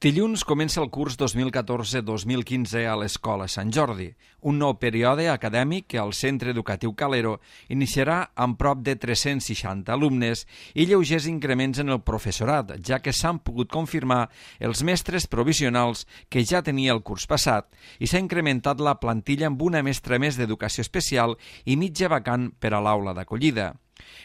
Dilluns comença el curs 2014-2015 a l'Escola Sant Jordi, un nou període acadèmic que el Centre Educatiu Calero iniciarà amb prop de 360 alumnes i lleugers increments en el professorat, ja que s'han pogut confirmar els mestres provisionals que ja tenia el curs passat i s'ha incrementat la plantilla amb una mestra més d'educació especial i mitja vacant per a l'aula d'acollida.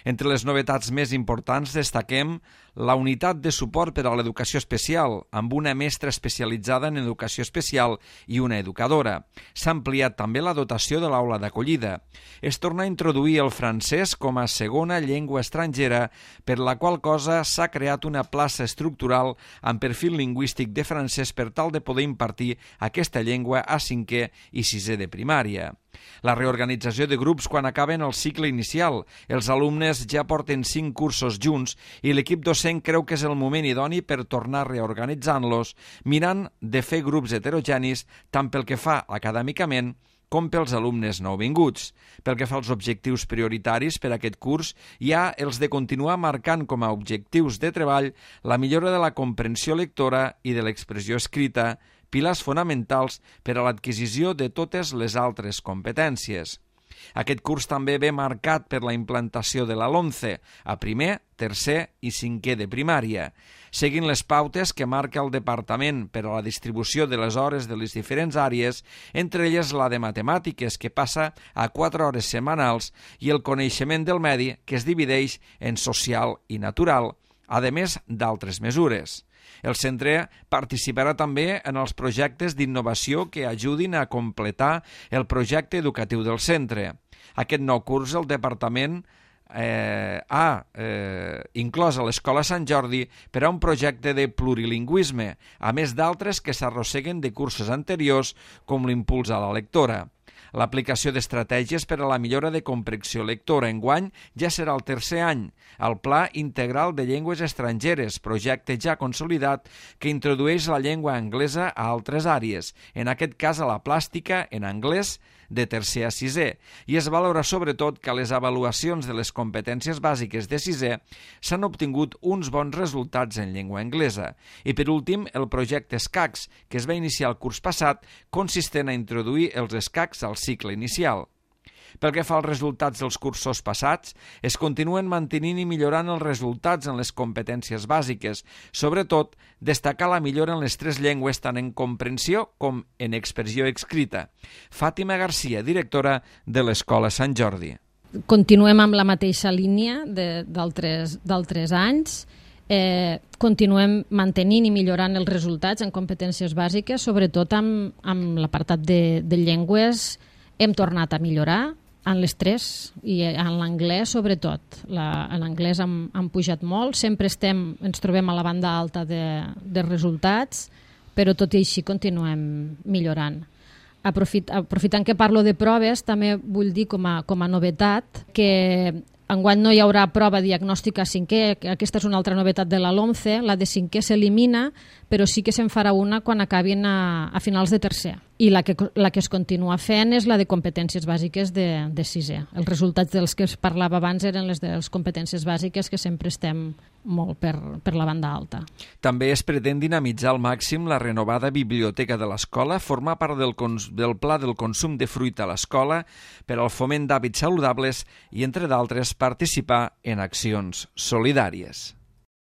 Entre les novetats més importants destaquem la unitat de suport per a l'educació especial, amb una mestra especialitzada en educació especial i una educadora. S'ha ampliat també la dotació de l'aula d'acollida. Es torna a introduir el francès com a segona llengua estrangera, per la qual cosa s'ha creat una plaça estructural amb perfil lingüístic de francès per tal de poder impartir aquesta llengua a 5è i 6è de primària. La reorganització de grups quan acaben el cicle inicial. Els alumnes ja porten 5 cursos junts i l'equip docent creu que és el moment idoni per tornar reorganitzant-los, mirant de fer grups heterogenis tant pel que fa acadèmicament com pels alumnes nouvinguts. Pel que fa als objectius prioritaris per a aquest curs, hi ha els de continuar marcant com a objectius de treball la millora de la comprensió lectora i de l'expressió escrita, pilars fonamentals per a l'adquisició de totes les altres competències. Aquest curs també ve marcat per la implantació de la LOMCE a 1è, 3è i 5è de primària, seguint les pautes que marca el Departament per a la distribució de les hores de les diferents àrees, entre elles la de matemàtiques, que passa a 4 hores setmanals, i el coneixement del medi, que es divideix en social i natural, a més d'altres mesures. El centre participarà també en els projectes d'innovació que ajudin a completar el projecte educatiu del centre. Aquest nou curs el Departament ha inclòs a l'Escola Sant Jordi per a un projecte de plurilingüisme, a més d'altres que s'arrosseguen de cursos anteriors, com l'impuls a la lectora. L'aplicació d'estratègies per a la millora de comprensió lectora enguany ja serà el 3è any, el Pla Integral de Llengües Estrangeres, projecte ja consolidat que introdueix la llengua anglesa a altres àrees, en aquest cas a la plàstica en anglès de 3è a 6è, i es valora sobretot que a les avaluacions de les competències bàsiques de 6è s'han obtingut uns bons resultats en llengua anglesa. I per últim, el projecte escacs, que es va iniciar el curs passat, consistent a introduir els escacs al cicle inicial. Pel que fa als resultats dels cursos passats, es continuen mantenint i millorant els resultats en les competències bàsiques, sobretot destacar la millora en les 3 llengües tant en comprensió com en expressió escrita. Fàtima Garcia, directora de l'Escola Sant Jordi. Continuem amb la mateixa línia d'altres anys. Continuem mantenint i millorant els resultats en competències bàsiques, sobretot amb l'apartat de llengües. Hem tornat a millorar en les 3 i en l'anglès sobretot. En l'anglès han pujat molt, sempre ens trobem a la banda alta de resultats, però tot i així continuem millorant. Aprofitant que parlo de proves, també vull dir com a novetat que enguany no hi haurà prova diagnòstica a 5è, aquesta és una altra novetat de la LOMCE, la de 5è s'elimina, però sí que se'n farà una quan acabin a finals de 3è. I la que es continua fent és la de competències bàsiques de 6è. Els resultats dels que es parlava abans eren les de les competències bàsiques, que sempre estem molt per la banda alta. També es pretén dinamitzar al màxim la renovada biblioteca de l'escola, formar part del pla del consum de fruita a l'escola per al foment d'hàbits saludables i, entre d'altres, participar en accions solidàries.